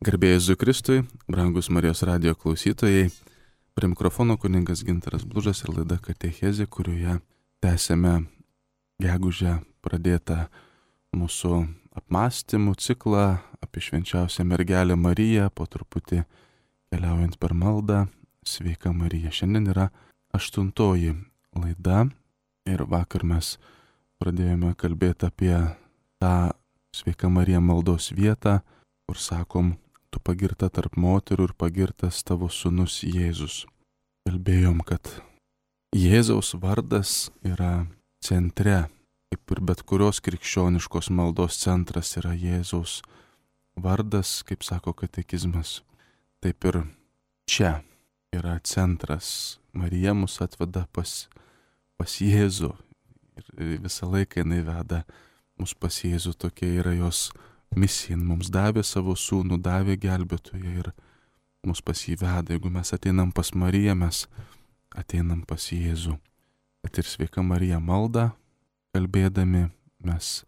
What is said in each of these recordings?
Garbėjai Jėzui Kristui, brangus Marijos radijo klausytojai, prie mikrofono kunigas Gintaras Blužas ir laida Katechezė, kurioje tęsėme gegužę pradėtą mūsų apmąstymų ciklą apie švenčiausią mergelę Mariją, po truputį keliaujant per maldą, Sveika Marija. Šiandien yra 8 laida ir vakar mes pradėjome kalbėti apie tą Sveika Marija maldos vietą, kur sakom, tu pagirta tarp moterų ir pagirtas tavo sūnus Jėzus. Kalbėjom, kad Jėzaus vardas yra centre, kaip ir bet kurios krikščioniškos maldos centras yra Jėzaus vardas, kaip sako katekizmas. Taip ir čia yra centras. Marija mus atveda pas Jėzų ir visą laiką jinai veda mus pas Jėzų, tokia yra jos misija. Mums davė savo sūnų, davė gelbėtoją ir mus pas jį veda. Jeigu mes ateinam pas Mariją, mes ateinam pas Jėzų. Kad ir Sveika Marija malda, kalbėdami, mes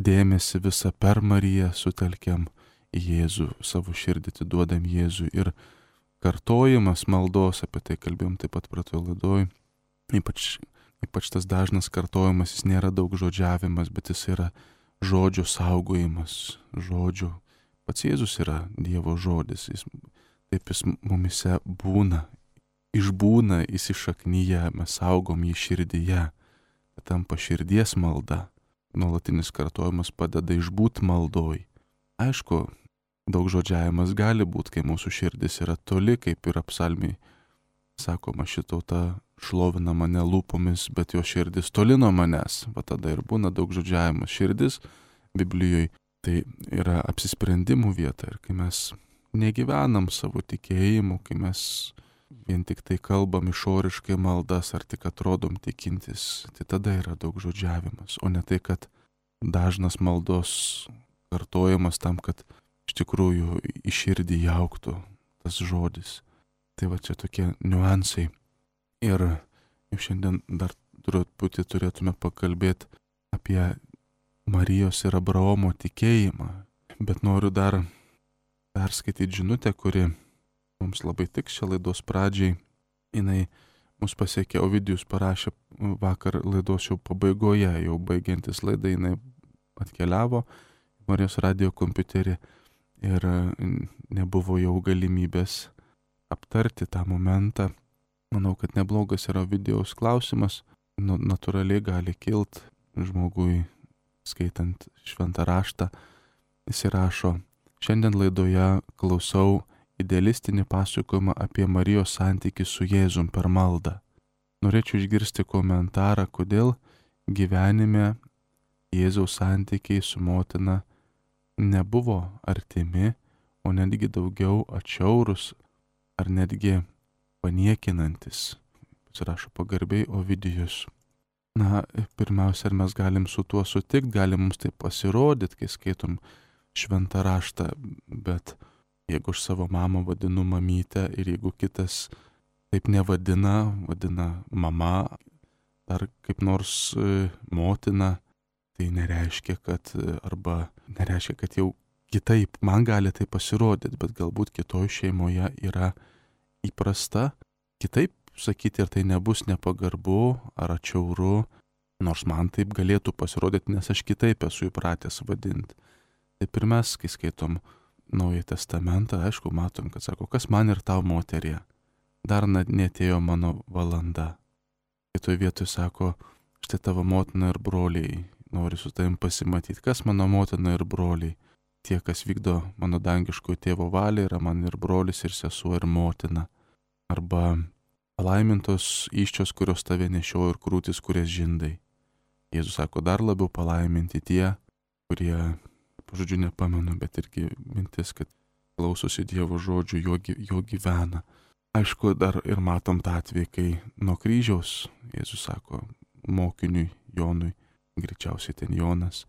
dėmesį visą per Mariją sutelkiam į Jėzų, savo širdį atiduodam Jėzui. Ir kartojimas maldos, apie tai kalbėjom taip pat pratoj laidoj, ypač tas dažnas kartojimas, jis nėra daug žodžiavimas, bet jis yra žodžio saugojimas, žodžio. Pats Jėzus yra Dievo žodis, jis mumise būna, išbūna, įsišaknyje, mes saugom jį širdyje, tampa širdies malda. Nuolatinis kartojimas padeda išbūt maldoj. Aišku, daug žodžiavimas gali būti, kai mūsų širdis yra toli, kaip ir psalmiai sakoma, ši tauta šlovina mane lūpomis, bet jo širdis toli nuo manęs. Va tada ir būna daug žodžiavimas. Širdis Biblijoje tai yra apsisprendimų vieta. Ir kai mes negyvenam savo tikėjimu, kai mes vien tik tai kalbam išoriškai maldas ar tik atrodom tikintis, tai tada yra daug žodžiavimas. O ne tai, kad dažnas maldos kartojimas tam, kad iš tikrųjų į širdį jauktų tas žodis. Tai va čia tokie niuansai. Ir jau šiandien dar turėtume pakalbėti apie Marijos ir Abraomo tikėjimą. Bet noriu dar perskaityti žinutę, kuri mums labai tiks šią laidos pradžiai. Jinai mus pasiekė, Ovidijus parašė vakar laidos jau pabaigoje, jau baigiantis laidą, jinai atkeliavo į Marijos radijo kompiuterį ir nebuvo jau galimybės aptarti tą momentą. Manau, kad neblogas yra Ovidijaus klausimas, natūraliai gali kilt žmogui skaitant šventą raštą. Jis rašo, šiandien laidoje klausau idealistinį pasakojimą apie Marijos santykį su Jėzum per maldą. Norėčiau išgirsti komentarą, kodėl gyvenime Jėzaus santykiai su motina nebuvo artimi, o netgi daugiau atšiaurus ar netgi paniekinantis. Pasirašo pagarbiai Ovidijus. Na, pirmiausia, ar mes galim su tuo sutikti, gali mums tai pasirodyti, kai skaitom šventą raštą, bet jeigu aš savo mamą vadinu mamytę ir jeigu kitas taip nevadina, vadina mama ar kaip nors motina, tai nereiškia, kad jau kitaip man gali tai pasirodyti, bet galbūt kitoj šeimoje yra įprasta kitaip sakyti ir tai nebus nepagarbu ar atšiauru, nors man taip galėtų pasirodyti, nes aš kitaip esu įpratęs vadinti. Taip ir mes, kai skaitom Naująjį testamentą, aišku, matom, kad sako, kas man ir tau moterie, dar netėjo mano valanda. Kitoje vietoje sako, štai tavo motina ir broliai, nori su tavim pasimatyti, kas mano motina ir broliai. Tie, kas vykdo mano dangiškojo tėvo valią, yra man ir brolis, ir sesuo, ir motina. Arba palaimintos įsčios, kurios tave nešiojo ir krūtis, kurias žindai. Jėzus sako, dar labiau palaiminti tie, kurie, žodžiu, nepamenu, bet irgi mintis, kad klausosi Dievo žodžių, jo gyvena. Aišku, dar ir matom tą atvejį, kai nuo kryžiaus Jėzus sako mokiniui Jonui, greičiausiai ten Jonas,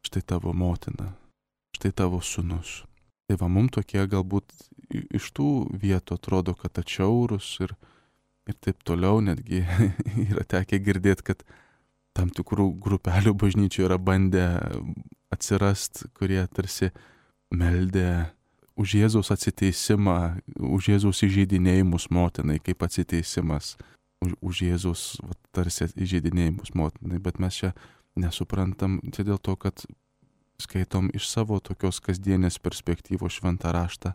štai tavo motina, štai tavo sūnus. Tai va, mums tokie galbūt iš tų vietų atrodo, kad atšiaurus ir taip toliau, netgi yra tekę girdėti, kad tam tikrų grupelių bažnyčių yra bandę atsirast, kurie tarsi meldė už Jėzaus atsiteisimą, už Jėzaus įžeidinėjimus motinai, kaip atsiteisimas už Jėzaus tarsi įžeidinėjimus motinai, bet mes čia nesuprantam, čia dėl to, kad skaitom iš savo tokios kasdienės perspektyvos šventą raštą,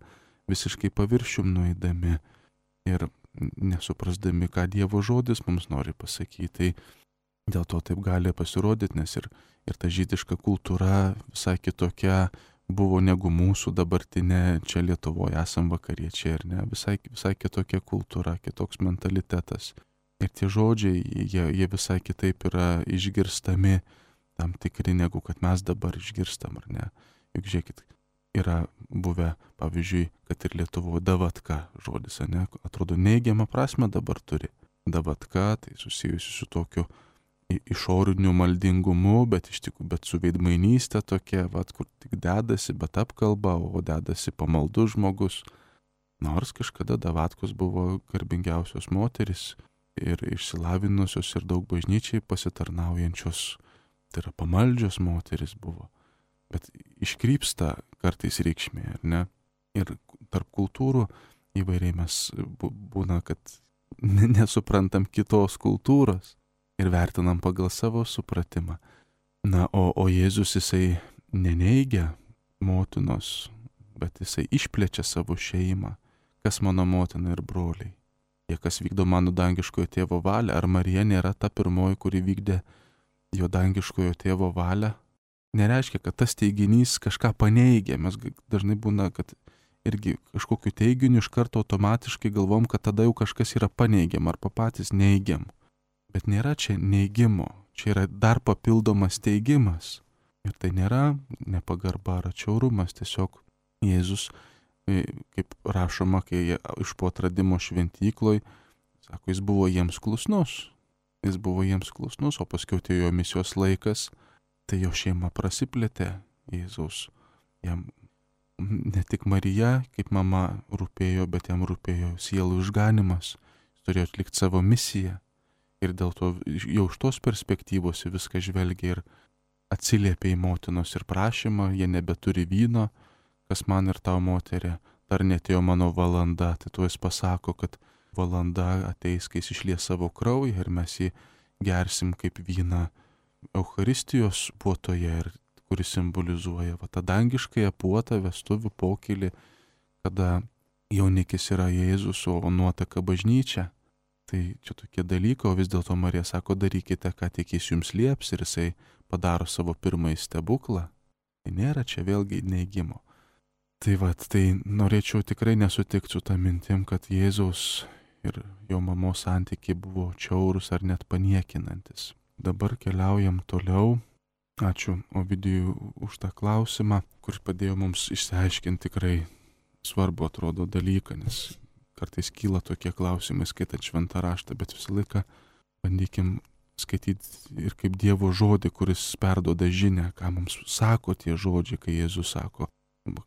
visiškai paviršium nueidami ir nesuprasdami, ką Dievo žodis mums nori pasakyti. Tai dėl to taip gali pasirodyti, nes ir ta žydiška kultūra visai kitokia buvo negu mūsų dabartinė, čia Lietuvoje esam vakariečiai, ar ne, visai kitokia kultūra, kitoks mentalitetas. Ir tie žodžiai, jie visai kitaip yra išgirstami, tam tikri, negu kad mes dabar išgirstam, ar ne. Juk žiūrėkit, yra buvę, pavyzdžiui, kad ir Lietuvoje davatka žodis, ne, atrodo neigiamą prasme dabar turi. Davatka, tai susijusi su tokiu išoriniu maldingumu, bet su veidmainystė tokia, kur tik dedasi, bet apkalba, o dedasi pamaldus žmogus. Nors kažkada davatkos buvo garbingiausios moteris ir išsilavinusios ir daug bažnyčiai pasitarnaujančios, tai yra pamaldžios moteris buvo. Bet iškrypsta kartais reikšmė, ar ne? Ir tarp kultūrų įvairiai mes būna, kad nesuprantam kitos kultūros ir vertinam pagal savo supratimą. Na, o Jėzus jisai neneigia motinos, bet jisai išplečia savo šeimą. Kas mano motina ir broliai? Jie kas vykdo mano dangiškojo tėvo valią? Ar Marija nėra ta pirmoji, kuri vykdė jo dangiškojo tėvo valią? Nereiškia, kad tas teiginys kažką paneigia. Mes dažnai būna, kad irgi kažkokiu teiginiu iš karto automatiškai galvom, kad tada jau kažkas yra paneigiam arba patys neigiam. Bet nėra čia neigimo, čia yra dar papildomas teigimas. Ir tai nėra nepagarba ar atšiaurumas, tiesiog Jėzus, kaip rašoma, kai iš po atradimo šventykloj, sako, jis buvo jiems klusnus. Jis buvo jiems klusnus, o paskui atėjo misijos laikas, tai jo šeima prasiplėtė Jėzaus. Jam ne tik Marija, kaip mama rūpėjo, bet jam rūpėjo sielų išganimas. Jis turėjo atlikti savo misiją. Ir dėl to jau iš tos perspektyvos viską žvelgia ir atsiliepia į motinos ir prašymą, jie nebeturi vyno, kas man ir tau moterė, dar netėjo mano valanda. Tai tuo jis pasako, kad valanda ateis, kai jis išlies savo kraują ir mes jį gersim kaip vyną Eucharistijos puotoje, ir kuris simbolizuoja tą dangiškąją puotą, vestuvių pokylį, kada jaunikis yra Jėzus, o nuotaka bažnyčia. Tai čia tokie dalykai, o vis dėlto Marija sako, darykite, ką tik jis jums lieps, ir jisai padaro savo pirmąjį stebuklą. Tai nėra čia vėlgi neigimo. Tai norėčiau tikrai nesutikti su tą mintim, kad Jėzaus ir jo mamos santykiai buvo čiaurus ar net paniekinantis. Dabar keliaujam toliau. Ačiū Ovidijui už tą klausimą, kuris padėjo mums išsiaiškinti tikrai svarbu atrodo dalyką, nes kartais kyla tokie klausimai skaitant šventą raštą, bet visą laiką bandykim skaityti ir kaip Dievo žodį, kuris perduoda žinią, ką mums sako tie žodžiai, kai Jėzus sako,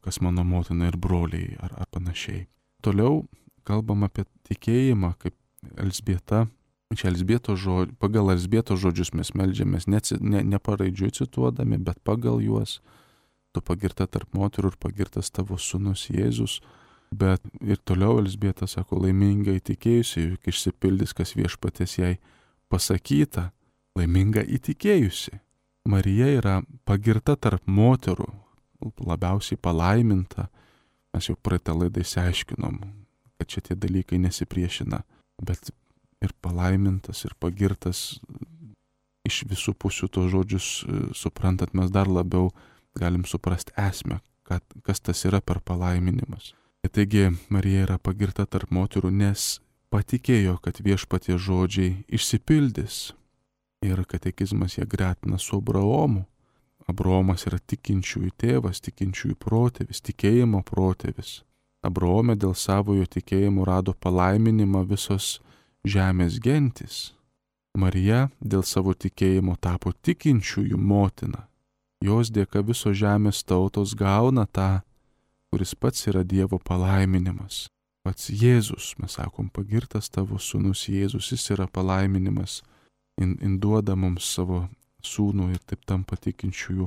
kas mano motina ir broliai ar panašiai. Toliau kalbam apie tikėjimą, kaip Elzbieta. Čia pagal Elzbietos žodžius mes meldžiamės, ne paraidžiui cituodami, bet pagal juos. Tu pagirta tarp moterų ir pagirtas tavo sūnus Jėzus. Bet ir toliau Elzbieta sako, laiminga įtikėjusi, juk išsipildys, kas viešpaties jai pasakyta, laiminga įtikėjusi. Marija yra pagirta tarp moterų, labiausiai palaiminta. Mes jau praeitą laidą išsiaiškinom, kad šitie dalykai nesipriešina, bet ir palaimintas, ir pagirtas iš visų pusių tos žodžius suprantat, mes dar labiau galim suprasti esmę, kas tas yra per palaiminimas. Taigi Marija yra pagirta tarp moterų, nes patikėjo, kad viešpaties žodžiai išsipildys. Ir katekizmas ją gretina su Abraomu. Abraomas yra tikinčiųjų tėvas, tikinčiųjų protėvis, tikėjimo protėvis. Abraome dėl savojo tikėjimo rado palaiminimą visos žemės gentys. Marija dėl savo tikėjimo tapo tikinčiųjų motina. Jos dėka visos žemės tautos gauna tą, kuris pats yra Dievo palaiminimas. Pats Jėzus, mes sakom, pagirtas tavo sūnus Jėzus, jis yra palaiminimas. Duoda mums savo sūnų ir taip tampa tikinčiųjų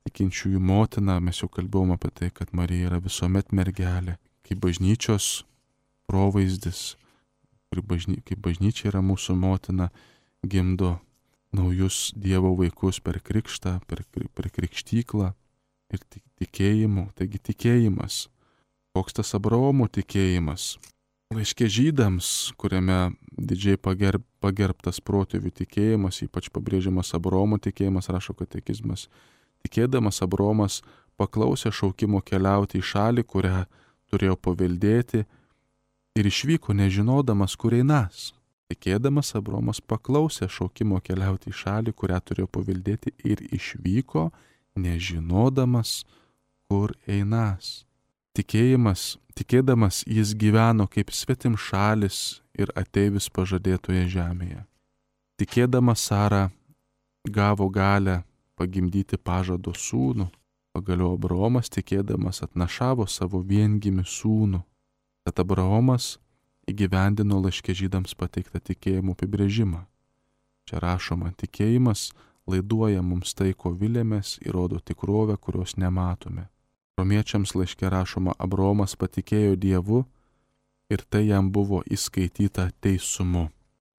tikinčiųjų motina, mes jau kalbėjome apie tai, kad Marija yra visuomet mergelė, kaip bažnyčios provaizdis, kaip bažnyčia yra mūsų motina, gimdo naujus Dievo vaikus per krikštą, per krikštyklą ir tikėjimu. Taigi tikėjimas. Koks tas Abraomo tikėjimas? Laiške Žydams, kuriame didžiai pagerbtas protėvių tikėjimas, ypač pabrėžiamas Abraomo tikėjimas, rašo katekizmas. Tikėdamas Abraomas paklausė šaukimo keliauti į šalį, kurią turėjo paveldėti, ir išvyko nežinodamas, kur einas. Tikėdamas Abraomas paklausė šaukimo keliauti į šalį, kurią turėjo paveldėti, ir išvyko nežinodamas, kur einas. Tikėdamas jis gyveno kaip svetimšalis ir ateivis pažadėtoje žemėje. Tikėdamas Sara gavo galią pagimdyti pažado sūnų, pagaliau Abraomas tikėdamas atnašavo savo viengimį sūnų. Tad Abraomas įgyvendino laiške Žydams pateiktą tikėjimo apibrėžimą. Čia rašoma, tikėjimas laiduoja mums tai, ko vilėmės, ir rodo tikrovę, kurios nematome. Romiečiams laiške rašoma, Abraomas patikėjo Dievu ir tai jam buvo įskaityta teisumu.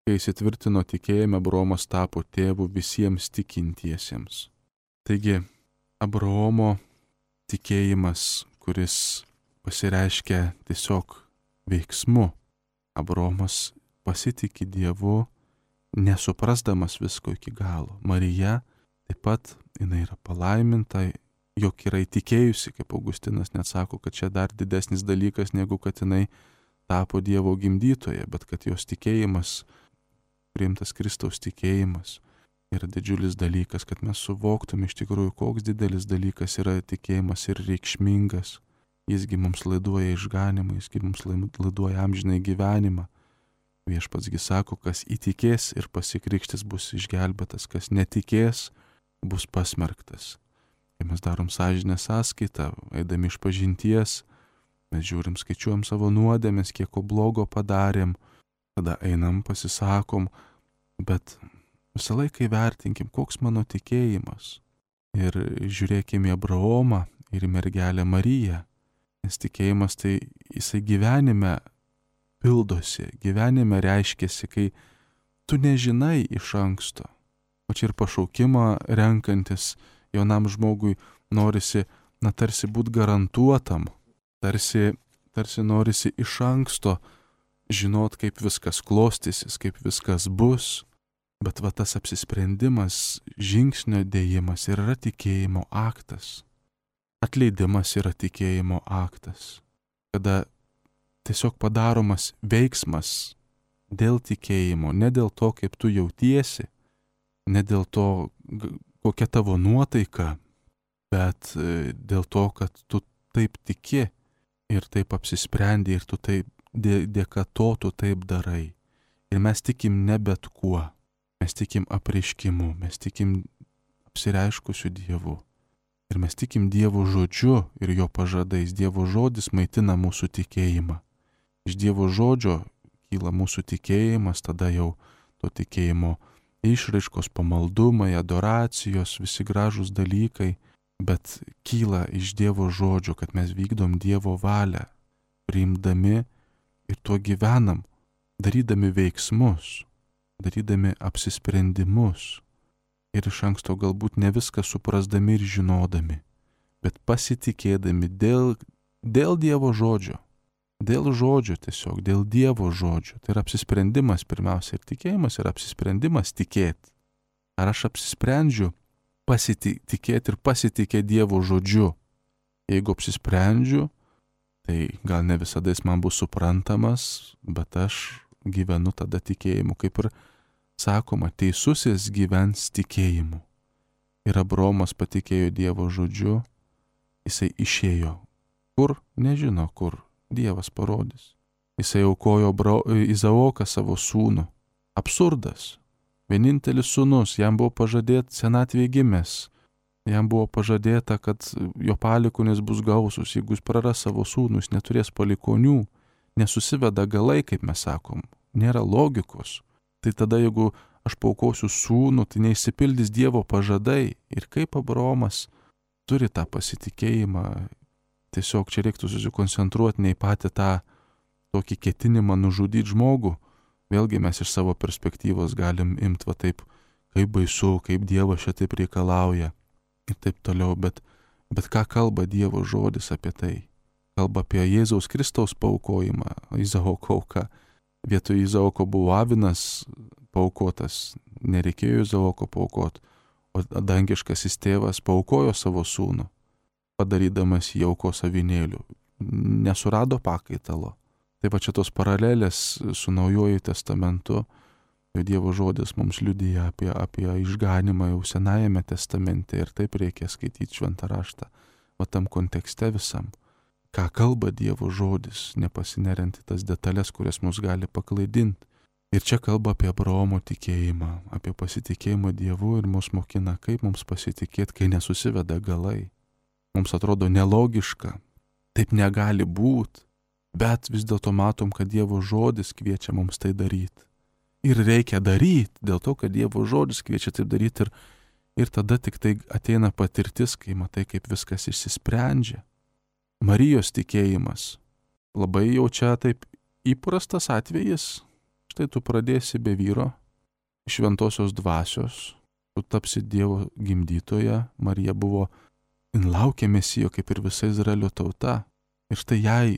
Kai įsitvirtino tikėjime, Abraomas tapo tėvu visiems tikintiesiems. Taigi, Abraomo tikėjimas, kuris pasireiškia tiesiog veiksmu. Abraomas pasitikė Dievu, nesuprasdamas visko iki galo. Marija taip pat, jinai yra palaiminta, jog yra įtikėjusi, kaip Augustinas net sako, kad čia dar didesnis dalykas, negu kad jinai tapo Dievo gimdytoja, bet kad jos tikėjimas, priimtas Kristaus tikėjimas, yra didžiulis dalykas, kad mes suvoktume iš tikrųjų, koks didelis dalykas yra tikėjimas ir reikšmingas. Jisgi mums laiduoja išganimą, jisgi mums laiduoja amžinai gyvenimą. Viešpatsgi sako, kas įtikės ir pasikrikštis bus išgelbėtas, kas netikės bus pasmerktas. Kai mes darom sąžinės sąskaitą, eidami iš pažinties, mes žiūrim, skaičiuojam savo nuodėmes, kiek ko blogo padarėm, tada einam, pasisakom, bet visą laiką įvertinkim, koks mano tikėjimas. Ir žiūrėkim į Abraomą ir į mergelę Mariją, nes tikėjimas tai jisai gyvenime pildosi, gyvenime reiškiasi, kai tu nežinai iš anksto. O čia ir pašaukimą renkantis jaunam žmogui norisi, tarsi būti garantuotam, tarsi norisi iš anksto žinot, kaip viskas klostysis, kaip viskas bus. Bet va tas apsisprendimas, žingsnio dėjimas yra tikėjimo aktas. Atleidimas yra tikėjimo aktas. Kada tiesiog padaromas veiksmas dėl tikėjimo, ne dėl to, kaip tu jautiesi, ne dėl to, kokia tavo nuotaika, bet dėl to, kad tu taip tiki ir taip apsisprendi ir tu taip dėka to tu taip darai. Ir mes tikim ne bet kuo. Mes tikim apreiškimu, mes tikim apsireiškusiu Dievu. Ir mes tikim Dievo žodžiu ir jo pažadais. Dievo žodis maitina mūsų tikėjimą. Iš Dievo žodžio kyla mūsų tikėjimas, tada jau to tikėjimo išraiškos, pamaldumai, adoracijos, visi gražūs dalykai, bet kyla iš Dievo žodžio, kad mes vykdom Dievo valią, priimdami ir tuo gyvenam, darydami veiksmus, darydami apsisprendimus ir iš anksto galbūt ne viską suprasdami ir žinodami, bet pasitikėdami dėl Dievo žodžio. Dėl žodžio tiesiog, dėl Dievo žodžio. Tai yra apsisprendimas pirmiausia ir tikėjimas yra apsisprendimas tikėti. Ar aš apsisprendžiu pasitikėti ir pasitikėti Dievo žodžiu? Jeigu apsisprendžiu, tai gal ne visada jis man bus suprantamas, bet aš gyvenu tada tikėjimu, kaip ir sakoma, teisusis gyvens tikėjimu. Ir Abraomas patikėjo Dievo žodžiu, jisai išėjo. Kur? Nežino kur. Dievas parodys. Jisai aukojo Izaoką savo sūnų. Absurdas. Vienintelis sūnus, jam buvo pažadėta senatvėje gimęs. Jam buvo pažadėta, kad jo palikuonis bus gausus. Jeigu jis praras savo sūnų, jis neturės palikonių. Nesusiveda galai, kaip mes sakom. Nėra logikos. Tai tada, jeigu aš paaukosiu sūnų, tai neišsipildys Dievo pažadai. Ir kaip Abraomas turi tą pasitikėjimą. Tiesiog čia reiktų susikoncentruoti ne į patį tą tokį ketinimą nužudyti žmogų. Vėlgi mes iš savo perspektyvos galim imti va taip, kaip baisu, kaip Dievas šitaip reikalauja ir taip toliau. Bet ką kalba Dievo žodis apie tai? Kalba apie Jėzaus Kristaus paaukojimą, Izaoko auką. Vietoj Izaoko buvo Avinas paaukotas, nereikėjo Izaoko paaukoti, o dangiškasis tėvas paaukojo savo sūnų, padarydamas jį aukos avinėliu. Nesurado pakaitalo. Taip pat šitos paralelės su Naujuoju testamentu, Dievo žodis mums liudija apie išganimą jau Senajame testamente ir taip reikia skaityti šventą raštą, o tam kontekste visam. Ką kalba Dievo žodis, nepasineriant į tas detalės, kurias mus gali paklaidinti. Ir čia kalba apie Abraomo tikėjimą, apie pasitikėjimą Dievu ir mus mokina, kaip mums pasitikėti, kai nesusiveda galai. Mums atrodo nelogiška, taip negali būti, bet vis dėlto matom, kad Dievo žodis kviečia mums tai daryti. Ir reikia daryti, dėl to, kad Dievo žodis kviečia taip daryti ir tada tik tai ateina patirtis, kai matai, kaip viskas išsisprendžia. Marijos tikėjimas. Labai jau čia taip įprastas atvejis. Štai tu pradėsi be vyro, šventosios dvasios, tu tapsi Dievo gimdytoja. Marija buvo, jin laukė Mesijo kaip ir visa Izraelio tauta. Ir štai jai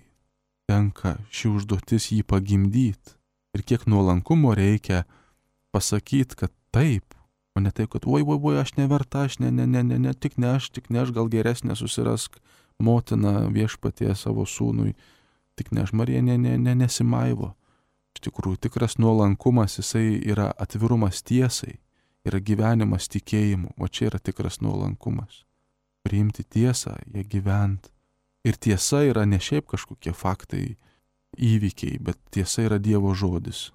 tenka ši užduotis jį pagimdyti. Ir kiek nuolankumo reikia pasakyti, kad taip, o ne taip, kad oi, aš neverta, aš tik ne aš, gal geresnė susirask motina viešpatie savo sūnui, tik ne aš. Marija nesimaivo. Iš tikrųjų, tikras nuolankumas, jisai yra atvirumas tiesai, yra gyvenimas tikėjimu, o čia yra tikras nuolankumas. Priimti tiesą, ją gyventi. Ir tiesa yra ne šiaip kažkokie faktai, įvykiai, bet tiesa yra Dievo žodis.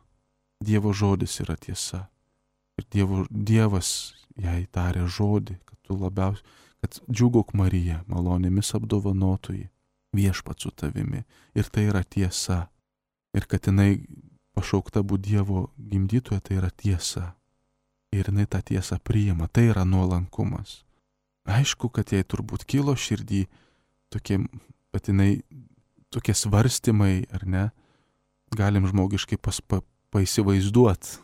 Dievo žodis yra tiesa. Ir Dievas jai tarė žodį, kad džiūgauk Marija, malonėmis apdovanotoji, viešpats su tavimi. Ir tai yra tiesa. Ir kad jinai pašaukta būti Dievo gimdytoja, tai yra tiesa. Ir jinai tą tiesą priima, tai yra nuolankumas. Aišku, kad jai turbūt kilo širdį tokie svarstymai, ar ne? Galim žmogiškai paįsivaizduoti,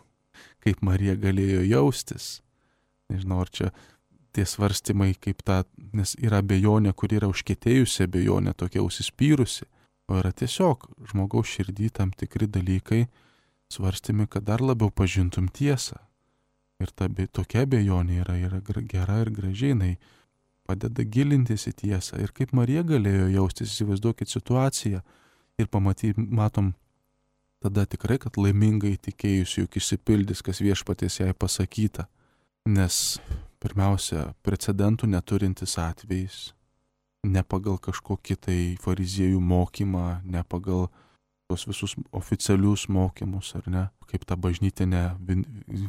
kaip Marija galėjo jaustis. Nežinau, ar čia tie svarstymai kaip nes yra abejonė, kur yra užkietėjusi abejonė, tokia užsispyrusi, o yra tiesiog žmogaus širdį tam tikri dalykai svarstymi, kad dar labiau pažintum tiesą. Ir tokia abejonė yra gera ir gražiai, jinai padeda gilintis į tiesą. Ir kaip Marija galėjo jaustis, įsivaizduokit situaciją ir matom tada tikrai, kad laimingai tikėjusi, juk išsipildys, kas viešpaties jai pasakyta. Nes pirmiausia, precedentų neturintis atvejis, ne pagal kažkokį tai fariziejų mokymą, ne pagal tos visus oficialius mokymus, ar ne, kaip ta bažnytinė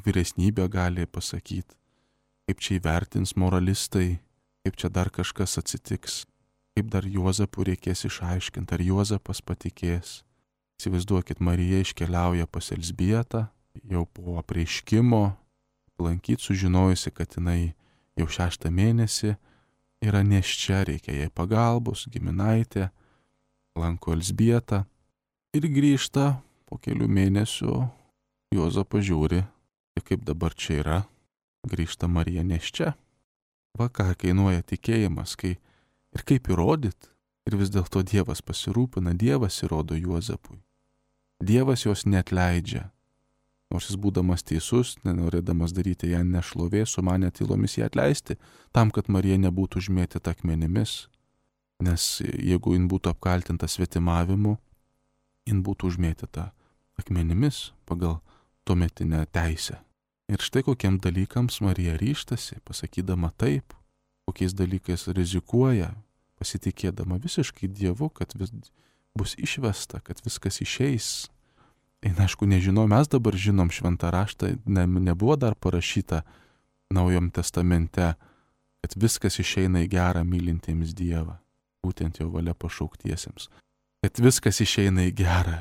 vyresnybė gali pasakyti, kaip čia įvertins moralistai, kaip čia dar kažkas atsitiks, kaip dar Juozapų reikės išaiškinti, ar Juozapas patikės. Įsivaizduokit, Marija iškeliauja pas Elzbietą, jau po apreiškimo, lankyti, sužinojusi, kad jinai jau 6 mėnesį yra nėščia, reikia jai pagalbos, giminaitė, lanko Elzbietą ir grįžta po kelių mėnesių, Juozapas žiūri, kaip dabar čia yra, grįžta Marija nėščia. Va ką kainuoja tikėjimas, ir kaip įrodyti, ir vis dėlto Dievas pasirūpina, Dievas įrodo Juozapui. Dievas jos neatleidžia. Nors jis būdamas teisus, nenorėdamas daryti ją nešlovė, sumanė tylomis ją atleisti, tam, kad Marija nebūtų užmėtyta akmenimis. Nes jeigu jin būtų apkaltinta svetimavimu, jin būtų užmėtyta akmenimis pagal tuometinę teisę. Ir štai kokiem dalykams Marija ryžtasi, pasakydama taip, kokiais dalykais rizikuoja, pasitikėdama visiškai Dievu, kad bus išvesta, kad viskas išeis. Aišku, nežinau, mes dabar žinom šventą raštą, nebuvo dar parašyta Naujam testamente, kad viskas išeina į gerą mylintiems Dievą, būtent jo valia pašauktiesiems. Kad viskas išeina į gerą.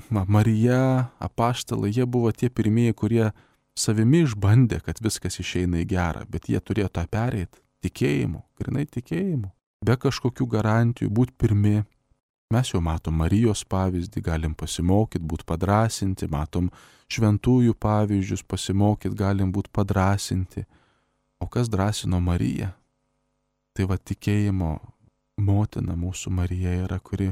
Marija, apaštalai, jie buvo tie pirmieji, kurie savimi išbandė, kad viskas išeina į gerą, bet jie turėjo tą pereiti. Tikėjimu, grinai tikėjimu. Be kažkokių garantijų, būt pirmi. Mes jau matom Marijos pavyzdį, galim pasimokyti, būt padrasinti, matom šventųjų pavyzdžius, pasimokyti, galim būt padrasinti. O kas drąsino Mariją? Tai va tikėjimo motina mūsų Marija yra, kuri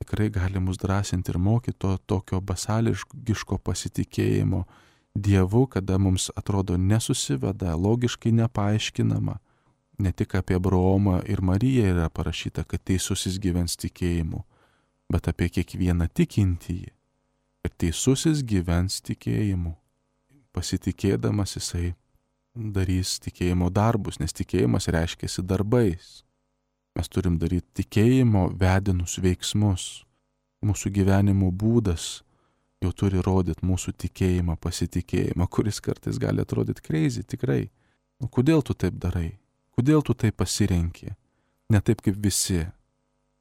tikrai gali mus drąsinti ir mokyti to tokio basališko pasitikėjimo Dievu, kada mums atrodo nesusiveda, logiškai nepaaiškinama. Ne tik apie Abraomą ir Mariją yra parašyta, kad teisusis gyvens tikėjimu, bet apie kiekvieną tikintįjį. Ir teisusis gyvens tikėjimu. Pasitikėdamas jisai darys tikėjimo darbus, nes tikėjimas reiškiasi darbais. Mes turim daryti tikėjimo vedinus veiksmus. Mūsų gyvenimo būdas jau turi rodyti mūsų tikėjimą, pasitikėjimą, kuris kartais gali atrodyti crazy, tikrai. O kodėl tu taip darai? Kodėl tu taip pasirenki? Ne taip kaip visi.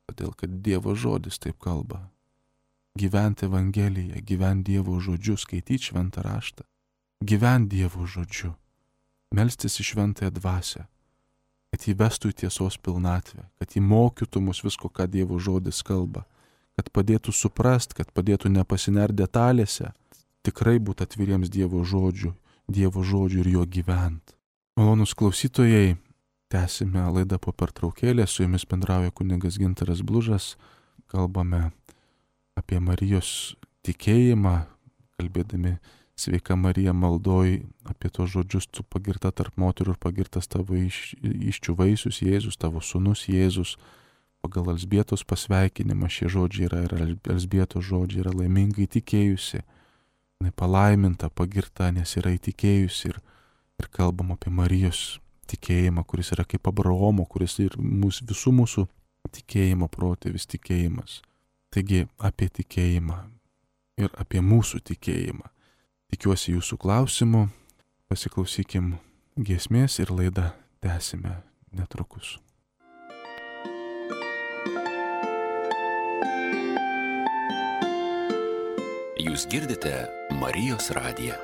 Todėl, kad Dievo žodis taip kalba. Gyventi Evangeliją, gyventi Dievo žodžiu, skaityti šventą raštą. Gyventi Dievo žodžiu. Melstis į šventąją dvasią. Kad jį vestų į tiesos pilnatvę. Kad jį mokytų mus visko, ką Dievo žodis kalba. Kad padėtų suprast, kad padėtų nepasinert detalėse. Tikrai būti atviriems Dievo žodžiu ir jo gyvent. Malonūs klausytojai, tęsime laidą po pertraukėlės, su jumis bendrauja kunigas Gintaras Blužas, kalbame apie Marijos tikėjimą, kalbėdami sveika Marija maldoj, apie tos žodžius, tu pagirta tarp moterų ir pagirtas tavo iščių vaisius Jėzus, tavo sūnus Jėzus, pagal Elzbietos pasveikinimą šie žodžiai yra ir Elzbietos žodžiai yra laimingai tikėjusi, palaiminta, pagirta, nes yra įtikėjusi ir kalbam apie Marijos tikėjimą, kuris yra kaip Abraomo, kuris ir visų mūsų tikėjimo protėvis tikėjimas. Taigi apie tikėjimą ir apie mūsų tikėjimą. Tikiuosi jūsų klausimų, pasiklausykim giesmės ir laidą tęsime netrukus. Jūs girdite Marijos radiją.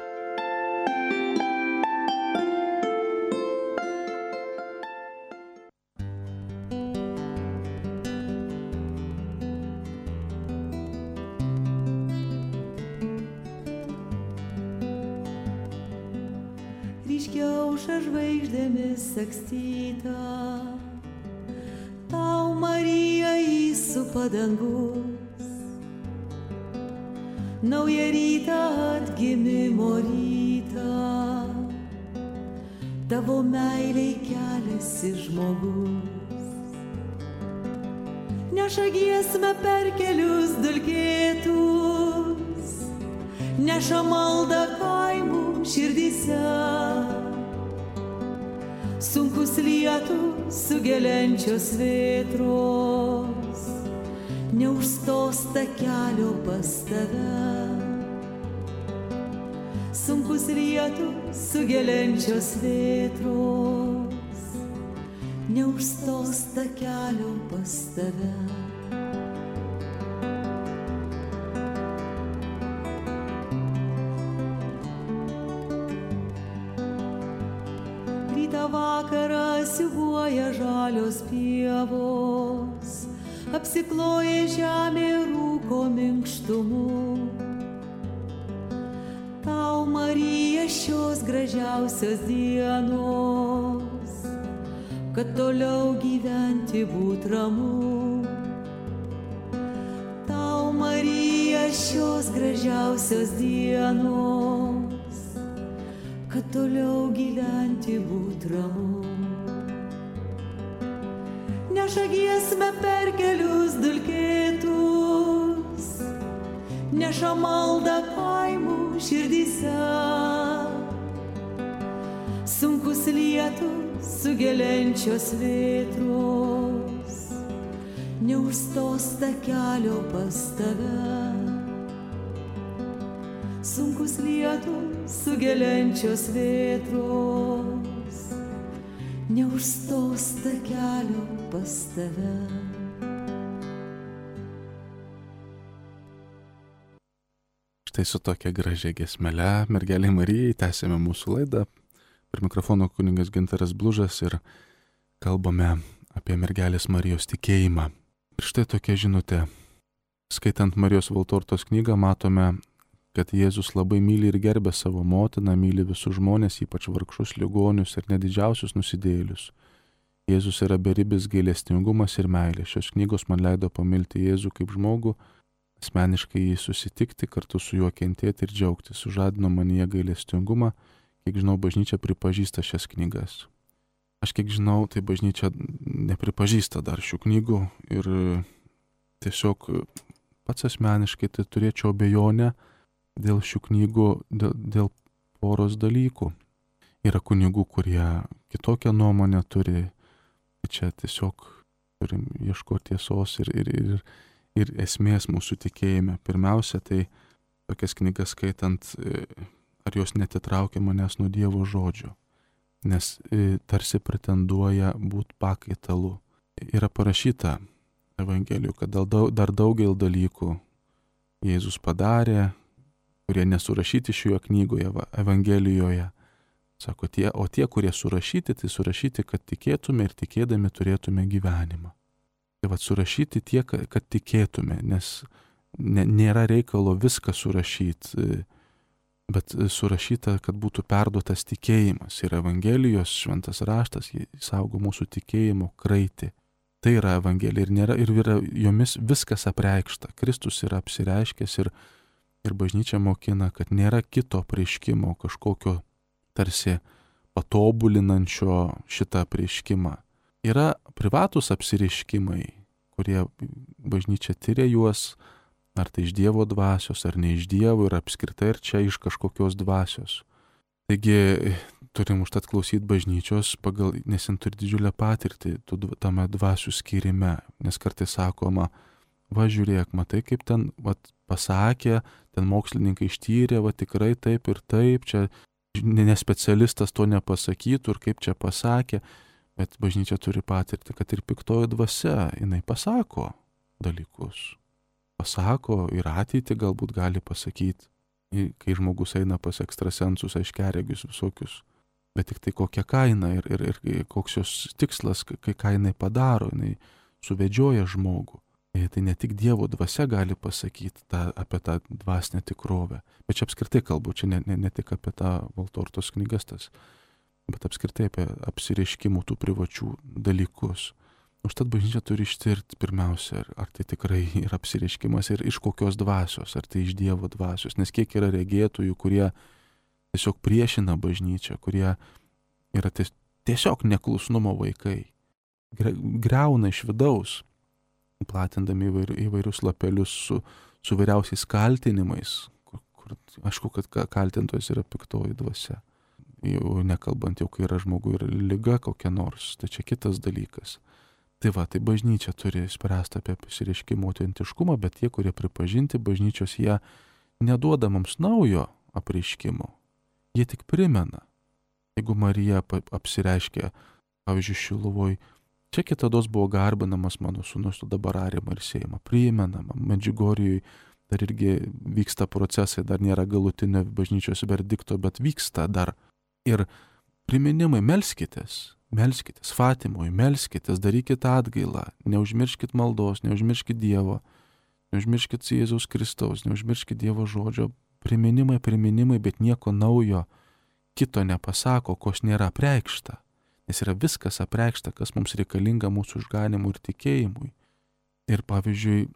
Ryškiausia žvaigždėmis sakstyta, tau Marija įsupa dangus, naują rytą atgimimo rytą, tavo meiliai keliasi žmogus. Neša giesmę per kelius dulkėtus, neša maldą kaimų širdyse. Sunkus lietus sugeliančios vėtros neužstos takelio pas tave. Sunkus lietus sugeliančios vėtros neužstos takelio pas tave. Vakarą siūbuoja žalios pievos, apsikloja žemė rūko minkštumu. Tau, Marija, šios gražiausios dienos, kad toliau gyventi būt ramu. Tau, Marija, šios gražiausios dienos, kad toliau gyventi būt ramu. Neša giesmę per kelius dulkėtus, neša maldą kaimų širdyse. Sunkus lietus sugeliančios vėtros neužstos takelio pas tave. Sunkus lietus sugeliančios vėtros neužstos takelio pas tave. Štai su tokia gražia giesmele, mergelei Marijai, tęsėme mūsų laidą. Per mikrofono kunigas Gintaras Blužas ir kalbame apie mergelės Marijos tikėjimą. Ir štai tokia žinutė. Skaitant Marijos Valtortos knygą matome, kad Jėzus labai myli ir gerbė savo motiną, myli visus žmonės, ypač vargšus, ligonius ir nedidžiausius nusidėjėlius. Jėzus yra beribis gailestingumas ir meilė. Šios knygos man leido pamilti Jėzų kaip žmogų, asmeniškai jį susitikti, kartu su juo kentėti ir džiaugtis. Sužadino manyje gailestingumą, kiek žinau, bažnyčia pripažįsta šias knygas. Aš kiek žinau, tai bažnyčia nepripažįsta dar šių knygų ir tiesiog pats asmeniškai tai turėčiau abejonę dėl šių knygų, dėl poros dalykų. Yra kunigų, kurie kitokią nuomonę turi, čia tiesiog turim ieškoti tiesos ir esmės mūsų tikėjime. Pirmiausia, tai tokias knygas skaitant, ar jos netitraukia manęs nuo Dievo žodžio, nes tarsi pretenduoja būti pakaitalu. Yra parašyta Evangelijų, kad dar daugelį dalykų Jėzus padarė, kurie nesurašyti šioje knygoje, Evangelijoje. Sako, tie, kurie surašyti, tai surašyti, kad tikėtume ir tikėdami turėtume gyvenimą. Tai vad surašyti tie, kad tikėtume, nes nėra reikalo viską surašyti, bet surašyta, kad būtų perduotas tikėjimas. Ir Evangelijos šventas raštas, jis saugo mūsų tikėjimo kraitį. Tai yra Evangelija ir yra jomis viskas apreikšta. Kristus yra apsireiškęs ir bažnyčia mokina, kad nėra kito apreiškimo, kažkokio tarsi patobulinančio šitą apreiškimą. Yra privatus apsireiškimai, kurie bažnyčia tyria juos, ar tai iš Dievo dvasios, ar ne iš Dievo, ir apskritai ir čia iš kažkokios dvasios. Taigi turim užtat klausyti bažnyčios, nes jin turi didžiulę patirtį tame dvasių skyrime, nes kartais sakoma, va žiūrėk, matai kaip ten pasakė, ten mokslininkai ištyrė, va tikrai taip ir taip, čia nespecialistas to nepasakytų ir kaip čia pasakė, bet bažnyčia turi patirti, kad ir piktoji dvasia, jinai pasako dalykus. Pasako ir ateitį galbūt gali pasakyti, kai žmogus eina pas ekstrasensus, aiškiaregius visokius, bet tik tai kokia kaina ir koks jos tikslas, ką jinai padaro, jinai suvedžioja žmogų. Tai ne tik Dievo dvasia gali pasakyti apie tą dvasinę tikrovę, bet čia apskritai kalbu, čia ne tik apie tą Valtortos knygas tas, bet apskritai apie apsireiškimų tų privačių dalykus. Užtat bažnyčia turi ištirti pirmiausia, ar tai tikrai yra apsireiškimas ir iš kokios dvasios, ar tai iš Dievo dvasios, nes kiek yra regėtojų, kurie tiesiog priešina bažnyčią, kurie yra tiesiog neklusnumo vaikai, griauna iš vidaus, platindami įvairius lapelius su vyriausiais kaltinimais, kur aišku, kad kaltintojas yra piktoji dvasia. Jau nekalbant, kai yra žmogui ir liga kokia nors, tai čia kitas dalykas. Tai bažnyčia turi spręsti apie apsireiškimo autentiškumą, bet tie, kurie pripažinti bažnyčios, jie neduoda mums naujo apreiškimo. Jie tik primena. Jeigu Marija apsireiškia, pavyzdžiui, Šiluvoj, čia kitados buvo garbinamas mano sūnus, dabar ariama ir sėjama, primenama. Medžiugorjoj dar irgi vyksta procesai, dar nėra galutinio bažnyčios verdikto, bet vyksta dar. Ir priminimai, melskitės, Fatimoj, melskitės, darykite atgailą, neužmirškit maldos, neužmirškit Dievo, neužmirškit Jėzaus Kristaus, neužmirškit Dievo žodžio. Priminimai, bet nieko naujo kito nepasako, kos nėra apreikšta. Nes yra viskas apreikšta, kas mums reikalinga mūsų išganimui ir tikėjimui. Ir pavyzdžiui,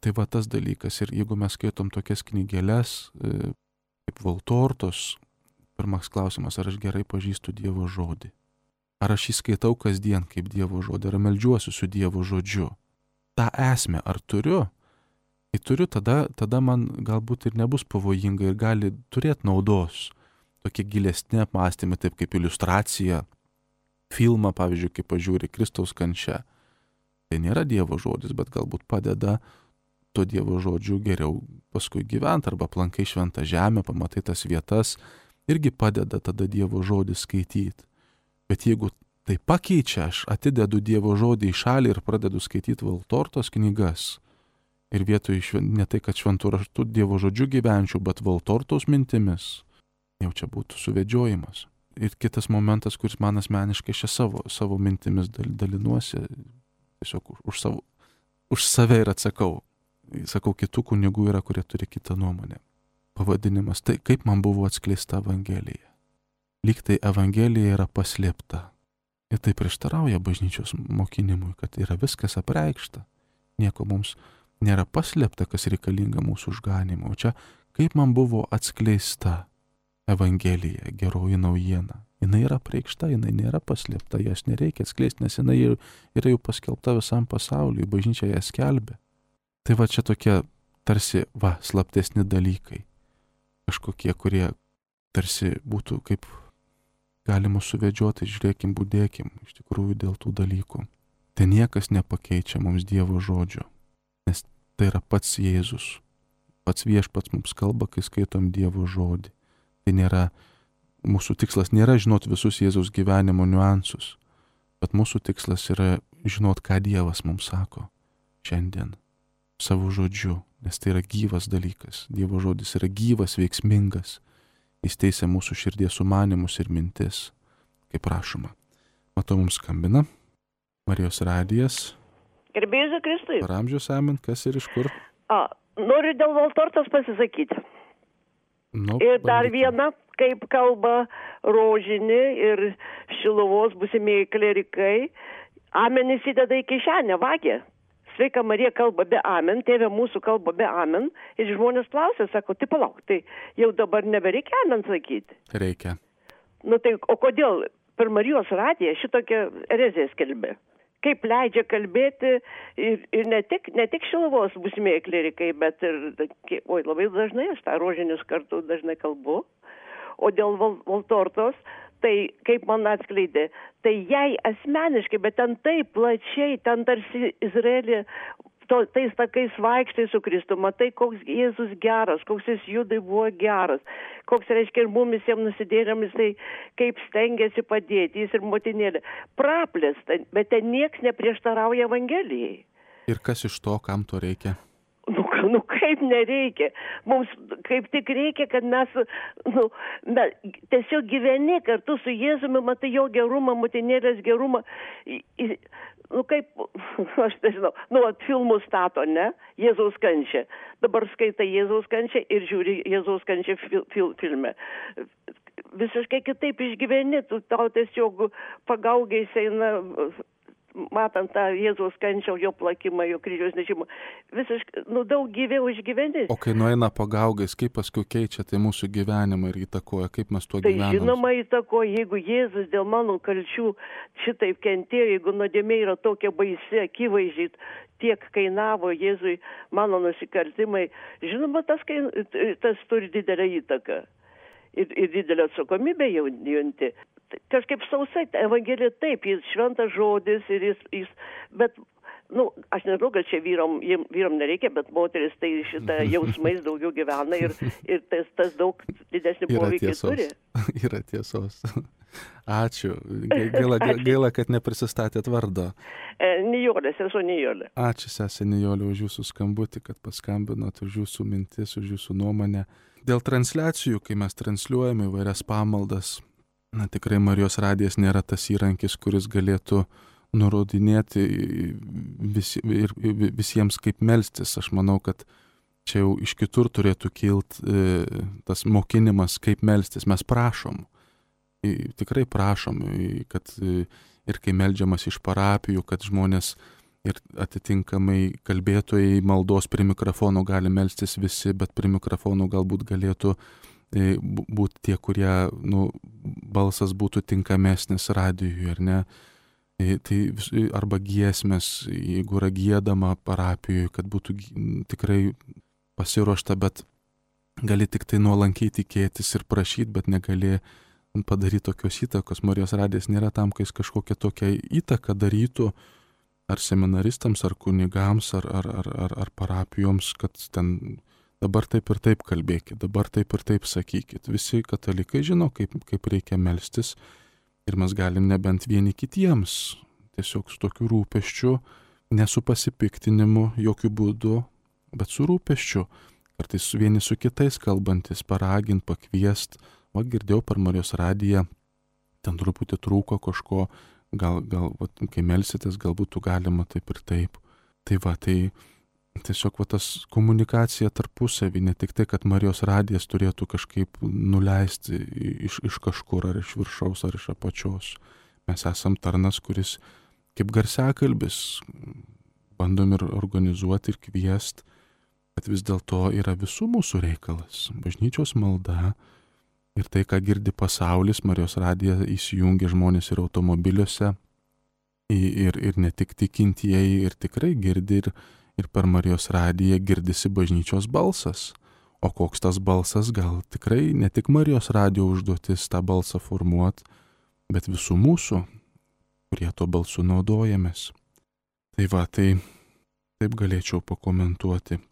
tai tas dalykas. Ir jeigu mes skaitom tokias knygeles, kaip Valtortos, pirmas klausimas, ar aš gerai pažįstu Dievo žodį? Ar aš jį skaitau kasdien kaip Dievo žodį? Ar meldžiuosi su Dievo žodžiu? Ta esmę, ar turiu? Kai turiu, tada man galbūt ir nebus pavojinga ir gali turėti naudos. Tokie gilesni apmąstymai, taip kaip iliustracija, filmą, pavyzdžiui, kaip pažiūri Kristaus kančia. Tai nėra Dievo žodis, bet galbūt padeda to Dievo žodžiu geriau paskui gyventi, arba aplankai šventą žemę, pamatai tas vietas, irgi padeda tada Dievo žodį skaityti. Bet jeigu tai pakeičia, aš atidedu Dievo žodį į šalį ir pradedu skaityti Valtortos knygas, ir vietoj ne tai, kad šventų raštų Dievo žodžiu gyvenčiau, bet Valtortos mintimis, jau čia būtų suvedžiojimas. ir kitas momentas, kuris man asmeniškai čia savo mintimis dalinuosi, tiesiog už save ir atsakau. Sakau, kitų kunigų yra, kurie turi kitą nuomonę. Pavadinimas, tai kaip man buvo atskleista Evangelija. Lyg tai Evangelija yra paslėpta. Ir tai prieštarauja bažnyčios mokinimui, kad yra viskas apreikšta. Nieko mums nėra paslėpta, kas reikalinga mūsų išganimo. O čia kaip man buvo atskleista Evangelija, geroji naujiena. Jinai yra apreikšta, jinai nėra paslėpta, jas nereikia atskleisti, nes jinai yra jau paskelbta visam pasauliui, bažnyčia ją skelbia. Tai va čia tokie tarsi, slaptesni dalykai. Kažkokie, kurie tarsi būtų kaip galima suvedžioti, žiūrėkim, būdėkim, iš tikrųjų dėl tų dalykų. Tai niekas nepakeičia mums Dievo žodžio, nes tai yra pats Jėzus. Pats viešpats mums kalba, kai skaitom Dievo žodį. Tai nėra, mūsų tikslas nėra žinot visus Jėzaus gyvenimo niuansus, bet mūsų tikslas yra žinot, ką Dievas mums sako šiandien. Savo žodžiu, nes tai yra gyvas dalykas. Dievo žodis yra gyvas, veiksmingas. Jis teisia mūsų širdies sumanymus ir mintis, kaip prašoma. Matau, mums skambina Marijos radijas. Gerbėjus Kristui. Per amžius amen, kas ir iš kur? Noriu dėl Valtortos pasisakyti. Ir dar viena, kaip kalba Rožinį ir Šiluvos būsimieji klerikai, amen įsideda į kišenę, vagia. Sveika Marija kalba be amen, tėvė mūsų kalba be amen. Ir žmonės klausia, sako, tai palauk, tai jau dabar nebereikia amen sakyti. Reikia. Tai, o kodėl per Marijos radiją šitokią ereziją skelbė? Kaip leidžia kalbėti ir ne tik Šiluvos būsimieji klerikai, bet ir, labai dažnai, aš tą Rožinius kartu dažnai kalbu. O dėl Valtortos, tai kaip man atskleidė, tai jai asmeniškai, bet ten taip plačiai, ten tarsi Izraelį, tais takais vaikštai su Kristu, matai, koks Jėzus geras, koks jis Judai buvo geras, koks reiškia ir mumis jam nusidėrėmis, tai kaip stengiasi padėti, jis ir motinėlė. Praplės, bet ten nieks neprieštarauja Evangelijai. Ir kas iš to, kam to reikia? Kaip nereikia. Mums kaip tik reikia, kad mes tiesiog gyveni kartu su Jėzumi, matai jo gerumą, motinėlės gerumą. Kaip, aš nežinau, filmus stato, ne? Jėzaus kančią. Dabar skaitai Jėzaus kančią ir žiūri Jėzaus kančią filme. Visiškai kitaip išgyveni, tau tiesiog pagaugiais eina, matant tą Jėzaus kančią, jo plakimą, jo kryžiaus nešimą, visiškai, daug gyviau išgyveni. O kai nueina pagaugais, kaip paskui keičia tai mūsų gyvenimą ir įtakoja, kaip mes tuo gyvenam? Tai žinoma įtakoja, jeigu Jėzus dėl mano kalčių šitaip kentėjo, jeigu nuodėmė yra tokia baisi, akivaizdžiai tiek kainavo Jėzui mano nusikaltimai, žinoma, tas turi didelę įtaką ir didelę atsakomybę junti. Kažkaip sausai, Evangelija taip, jis šventas žodis ir jis bet, aš nežinau, kad čia vyram nereikia, bet moteris tai šitą jausmais daugiau gyvena ir tas daug didesnį poveikį turi. Yra tiesos. Ačiū. Gaila, kad neprisistatėt vardo. Nijolė, sesuo Nijolė. Ačiū, sesė Nijolė, už jūsų skambutį, kad paskambinot, už jūsų mintis, už jūsų nuomonę. Dėl transliacijų, kai mes transliuojame įvairias pamaldas, tikrai Marijos radijas nėra tas įrankis, kuris galėtų nurodinėti visiems kaip melstis. Aš manau, kad čia jau iš kitur turėtų kilti tas mokinimas, kaip melstis. Mes prašom, tikrai prašom, kad ir kai meldžiamas iš parapijų, kad žmonės ir atitinkamai kalbėtojai maldos prie mikrofonų gali melstis visi, bet prie mikrofonų galbūt galėtų būti tie, kurie, balsas būtų tinkamesnis radijui, ar ne? Tai arba giesmės, jeigu yra giedama parapijoje, kad būtų tikrai pasiruošta, bet gali tik tai nuolankiai tikėtis ir prašyti, bet negali padaryti tokios įtakos. Marijos radijas nėra tam, kai jis kažkokią tokią įtaką darytų, ar seminaristams, ar kunigams, ar parapijoms, kad ten dabar taip ir taip kalbėkit, dabar taip ir taip sakykit. Visi katalikai žino, kaip reikia melstis ir mes galim nebent vieni kitiems, tiesiog su tokiu rūpesčiu, ne su pasipiktinimu jokių būdų, bet su rūpesčiu. Kartais vieni su kitais kalbantis, paragint, pakviest. Girdėjau per Marijos radiją ten truputį trūko kažko, gal vat, kai melsitės, galbūt galima taip ir taip. Tai va, tai tiesiog va, tas komunikacija tarpusavį, ne tik tai, kad Marijos radijas turėtų kažkaip nuleisti iš kažkur, ar iš viršaus, ar iš apačios. Mes esam tarnas, kuris kaip garsiakalbis bandom ir organizuoti ir kviesti, bet vis dėlto yra visų mūsų reikalas. Bažnyčios malda ir tai, ką girdi pasaulis, Marijos radiją įsijungia žmonės ir automobiliuose, ir ne tik tikintieji, ir tikrai girdi, ir per Marijos radiją girdisi bažnyčios balsas. O koks tas balsas, gal tikrai ne tik Marijos radijo užduotis tą balsą formuoti, bet visų mūsų, kurie to balsu naudojamės. Tai va, tai taip galėčiau pakomentuoti.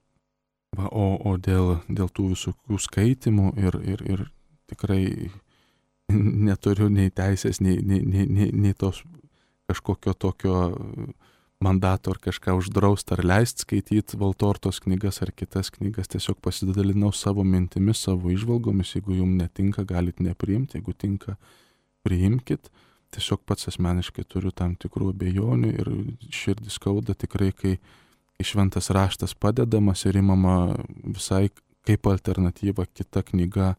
Va, o dėl tų visokių skaitimų ir tikrai neturiu nei teisės, nei tos kažkokio tokio mandato ar kažką uždrausti ar leisti skaityti Valtortos knygas ar kitas knygas. Tiesiog pasidalinau savo mintimis, savo įžvalgomis. Jeigu jums netinka, galit nepriimti, jeigu tinka, priimkit. Tiesiog pats asmeniškai turiu tam tikrų abejonių ir širdį skauda tikrai, kai šventas raštas padedamas ir imama visai kaip alternatyva kita knyga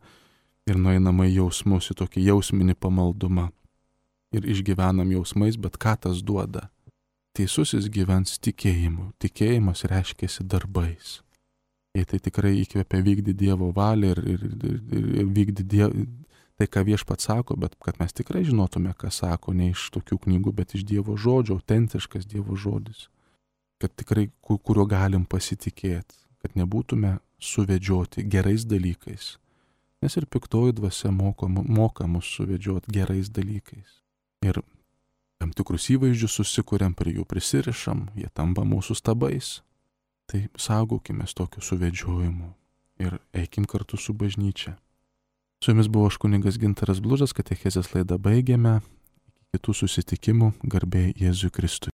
ir nueinama į jausmus, į tokį jausminį pamaldumą. Ir išgyvenam jausmais, bet ką tas duoda? Teisusis gyvens tikėjimu. Tikėjimas reiškiasi darbais. Jei tai tikrai įkvepia vykdyti Dievo valią ir vykdyti tai, ką Viešpats sako, bet kad mes tikrai žinotume, ką sako, ne iš tokių knygų, bet iš Dievo žodžio, autentiškas Dievo žodis. Kad tikrai, kuriuo galim pasitikėti, kad nebūtume suvedžioti gerais dalykais. Nes ir piktoji dvasia moka mus suvedžioti gerais dalykais. Ir tam tikrus įvaizdžius susikuriam, prie jų prisirišam, jie tampa mūsų stabais. Tai saugokime tokiu suvedžiojimu ir eikim kartu su bažnyčia. Su jumis buvo aš kunigas Gintaras Blužas, katechezės laidą baigėme. Iki kitų susitikimų, garbė Jėzui Kristui.